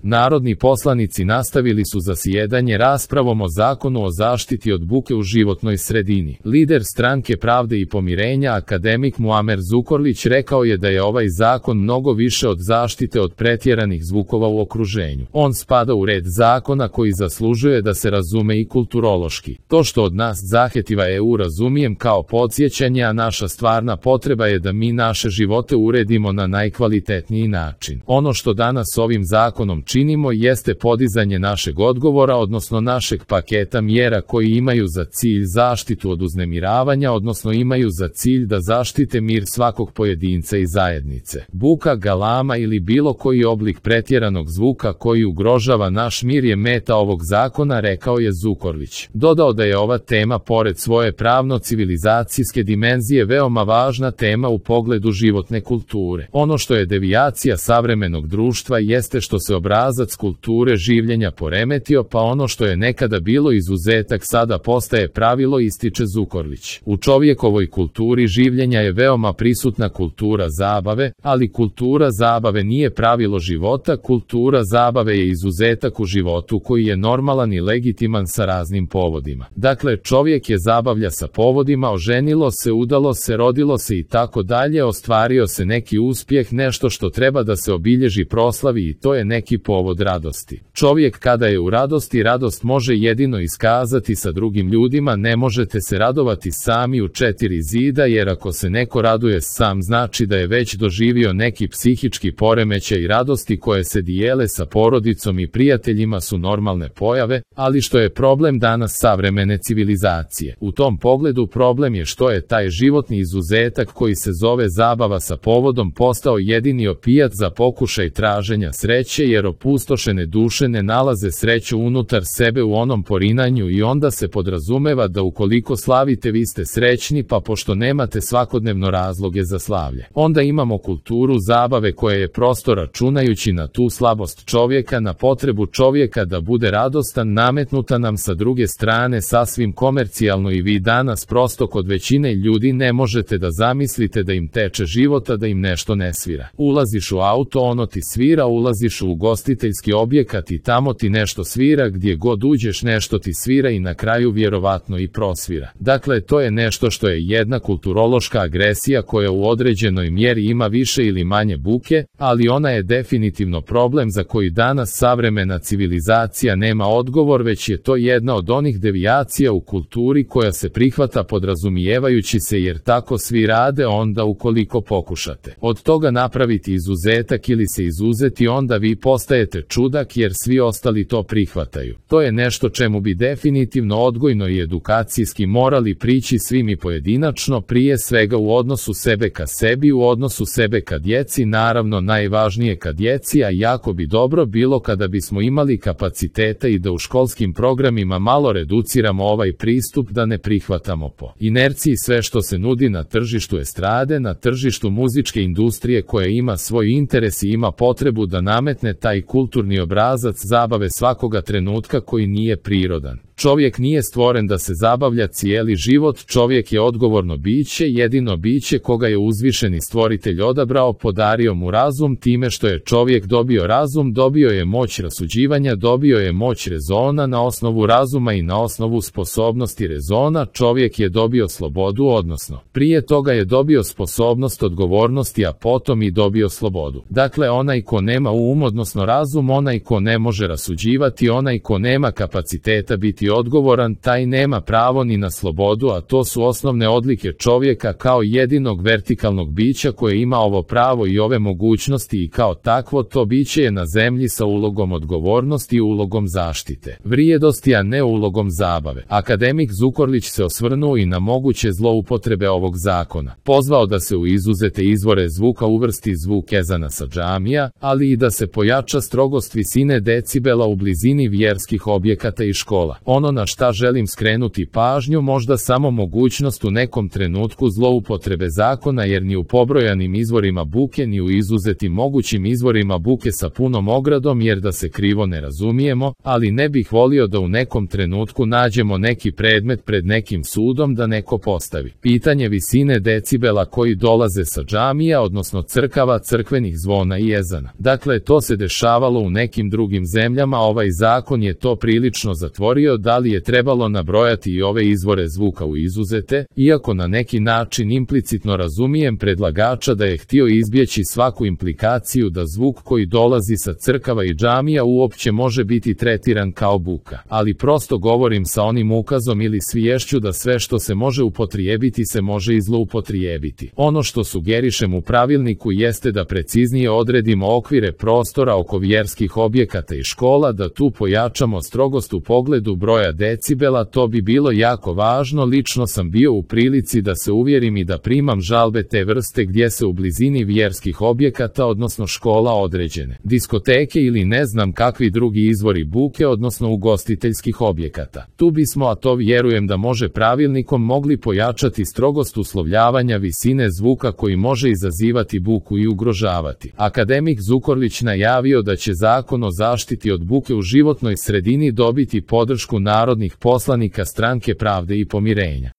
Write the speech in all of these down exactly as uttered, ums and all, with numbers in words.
Narodni poslanici nastavili su zasjedanje raspravom o zakonu o zaštiti od buke u životnoj sredini. Lider Stranke pravde i pomirenja, akademik Muamer Zukorlić, rekao je da je ovaj zakon mnogo više od zaštite od pretjeranih zvukova u okruženju. On spada u red zakona koji zaslužuje da se razume i kulturološki. To što od nas zahtjeva E U razumijem kao podsjećanje, a naša stvarna potreba je da mi naše živote uredimo na najkvalitetniji način. Ono što danas ovim zakonom činimo jeste podizanje našeg odgovora, odnosno našeg paketa mjera koji imaju za cilj zaštitu od uznemiravanja, odnosno imaju za cilj da zaštite mir svakog pojedinca i zajednice. Buka, galama ili bilo koji oblik pretjeranog zvuka koji ugrožava naš mir je meta ovog zakona, rekao je Zukorlić. Dodao da je ova tema pored svoje pravno-civilizacijske dimenzije veoma važna tema u pogledu životne kulture. Ono što je devijacija savremenog društva jeste što se obrazac kulture življenja poremetio, pa ono što je nekada bilo izuzetak sada postaje pravilo, ističe Zukorlić. U čovjekovoj kulturi življenja je veoma prisutna kultura zabave, ali kultura zabave nije pravilo života, kultura zabave je izuzetak u životu koji je normalan i legitiman sa raznim povodima. Dakle, čovjek je zabavlja sa povodima, oženilo se, udalo se, rodilo se i tako dalje, ostvario se neki uspjeh, nešto što treba da se obilježi, proslavi, i to je neki povod radosti. Čovjek kada je u radosti, radost može jedino iskazati sa drugim ljudima, ne možete se radovati sami u četiri zida, jer ako se neko raduje sam, znači da je već doživio neki psihički poremećaj. Radosti koje se dijele sa porodicom i prijateljima su normalne pojave, ali što je problem danas savremene civilizacije? U tom pogledu problem je što je taj životni izuzetak koji se zove zabava sa povodom postao jedini opijat za pokušaj traženja sreće, jer opustošene duše ne nalaze sreću unutar sebe u onom porinanju, i onda se podrazumeva da ukoliko slavite vi ste srećni, pa pošto nemate svakodnevno razloge za slavlje. Onda imamo kulturu zabave koja je prosto računajući na tu slabost čovjeka, na potrebu čovjeka da bude radostan, nametnuta nam sa druge strane sasvim komercijalno, i vi danas prosto kod većine ljudi ne možete da zamislite da im teče života, da im nešto ne svira. Ulaziš u auto, ono ti svira, ulaziš u ugostiteljski objekat i tamo ti nešto svira, gdje god uđeš nešto ti svira i na kraju vjerovatno i prosvira. Dakle, to je nešto što je jedna kulturološka agresija koja u određenoj mjeri ima više ili manje buke, ali ona je definitivno problem za koji danas savremena civilizacija nema odgovor, već je to jedna od onih devijacija u kulturi koja se prihvata podrazumijevajući se jer tako svi rade, onda ukoliko pokušate od toga napraviti izuzetak ili se izuzeti, onda vi postajete čudak jer svi ostali to prihvataju. To je nešto čemu bi definitivno odgojno i edukacijski morali prići svi mi pojedinačno, prije svega u odnosu sebe ka sebi, u odnosu sebe ka djeci, naravno najvažnije ka djeci, a jako bi dobro bilo kada bismo imali kapaciteta i da u školskim programima malo reduciramo ovaj pristup, da ne prihvatamo po inerciji sve što se nudi na tržištu estrade, na tržištu muzičke industrije koja ima svoj interes i ima potrebu da nametne taj kulturni obrazac zabave svakoga trenutka koji nije prirodan. Čovjek nije stvoren da se zabavlja cijeli život, čovjek je odgovorno biće, jedino biće koga je uzvišeni stvoritelj odabrao, podario mu razum, time što je čovjek dobio razum, dobio je moć rasuđivanja, dobio je moć rezona, na osnovu razuma i na osnovu sposobnosti rezona čovjek je dobio slobodu, odnosno prije toga je dobio sposobnost odgovornosti, a potom i dobio slobodu. Dakle, onaj ko nema um, odnosno razum, onaj ko ne može rasuđivati, onaj ko nema kapaciteta biti odgovoran, taj nema pravo ni na slobodu, a to su osnovne odlike čovjeka kao jedinog vertikalnog bića koje ima ovo pravo i ove mogućnosti, i kao takvo to biće je na zemlji sa ulogom odgovornosti i ulogom zaštite vrijedosti, a ne ulogom zabave. Akademik Zukorlić se osvrnuo i na moguće zloupotrebe ovog zakona. Pozvao da se u izuzete izvore zvuka uvrsti zvuk ezana sa džamija, ali i da se pojača strogost visine decibela u blizini vjerskih objekata i škola. On Ono na šta želim skrenuti pažnju možda samo mogućnost u nekom trenutku zloupotrebe zakona, jer ni u pobrojanim izvorima buke ni u izuzetim mogućim izvorima buke sa punom ogradom, jer da se krivo ne razumijemo, ali ne bih volio da u nekom trenutku nađemo neki predmet pred nekim sudom da neko postavi pitanje visine decibela koji dolaze sa džamija, odnosno crkava, crkvenih zvona i ezana. Dakle, to se dešavalo u nekim drugim zemljama, ovaj zakon je to prilično zatvorio. Da li je trebalo nabrojati i ove izvore zvuka u izuzete, iako na neki način implicitno razumijem predlagača da je htio izbjeći svaku implikaciju da zvuk koji dolazi sa crkava i džamija uopće može biti tretiran kao buka, ali prosto govorim sa onim ukazom ili sviješću da sve što se može upotrijebiti se može i zloupotrijebiti. Ono što sugerišem u pravilniku jeste da preciznije odredimo okvire prostora oko vjerskih objekata i škola, da tu pojačamo strogost u pogledu broja decibela, to bi bilo jako važno. Lično sam bio u prilici da se uvjerim i da primam žalbe te vrste gdje se u blizini vjerskih objekata, odnosno škola, određene diskoteke ili ne znam kakvi drugi izvori buke, odnosno ugostiteljskih objekata. Tu bismo, a to vjerujem da može pravilnikom, mogli pojačati strogost uslovljavanja visine zvuka koji može izazivati buku i ugrožavati. Akademik Zukorlić najavio da će Zakon o zaštiti od buke u životnoj sredini dobiti podršku narodnih poslanika Stranke pravde i pomirenja.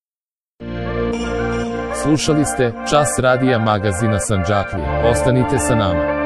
Slušali ste Čas radija magazina Sandžaklija. Ostanite sa nama.